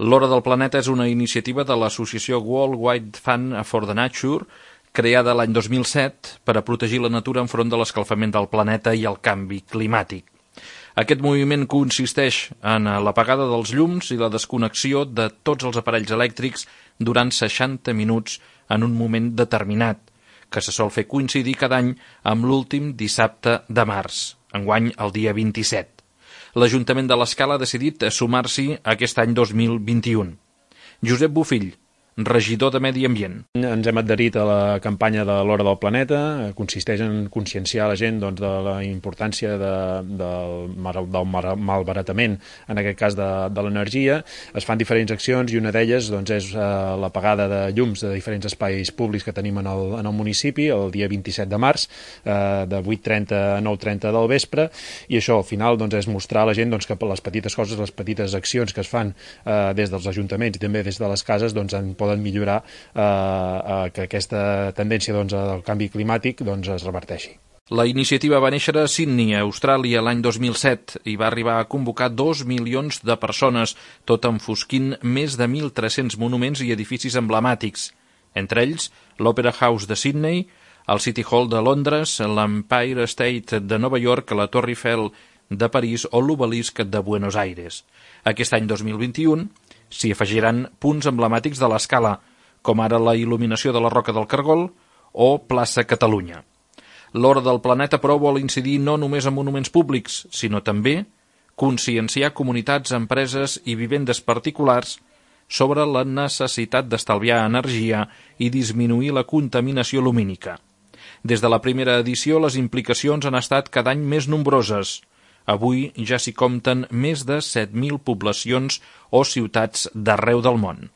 L'Hora del Planeta és una iniciativa de l'associació World Wide Fund for the Nature, creada l'any 2007 per a protegir la natura enfront de l'escalfament del planeta i el canvi climàtic. Aquest moviment consisteix en l'apagada dels llums i la desconnexió de tots els aparells elèctrics durant 60 minuts en un moment determinat, que se sol fer coincidir cada any amb l'últim dissabte de març, enguany el dia 27. L'Ajuntament de l'Escala ha decidit sumar-s'hi aquest any 2021. Josep Bofill, regidor de Medi Ambient. Ens hem adherit a la campanya de l'Hora del Planeta, consisteix en conscienciar la gent de la importància del malbaratament, en aquest cas de l'energia. Es fan diferents accions i una d'elles és l'apagada de llums de diferents espais públics que tenim en el municipi el dia 27 de març, de 8:30 a 9:30 del vespre, i això al final és mostrar a la gent que les petites coses, les petites accions que es fan des dels ajuntaments i també des de les cases poden millorar que aquesta tendència del canvi climàtic es reverteixi. La iniciativa va néixer a Sydney, a Austràlia, l'any 2007 i va arribar a convocar 2 milions de persones, tot enfosquint més de 1.300 monuments i edificis emblemàtics, entre ells l'Opera House de Sydney, el City Hall de Londres, l'Empire State de Nova York, la Torre Eiffel de París o l'Obelisc de Buenos Aires. Aquest any 2021 s'hi afegiran punts emblemàtics de l'Escala, com ara la il·luminació de la Roca del Cargol o Plaça Catalunya. L'Hora del Planeta, però, vol incidir no només en monuments públics, sinó també conscienciar comunitats, empreses i vivendes particulars sobre la necessitat d'estalviar energia i disminuir la contaminació lumínica. Des de la primera edició, les implicacions han estat cada any més nombroses. Avui ja s'hi compten més de 7.000 poblacions o ciutats d'arreu del món.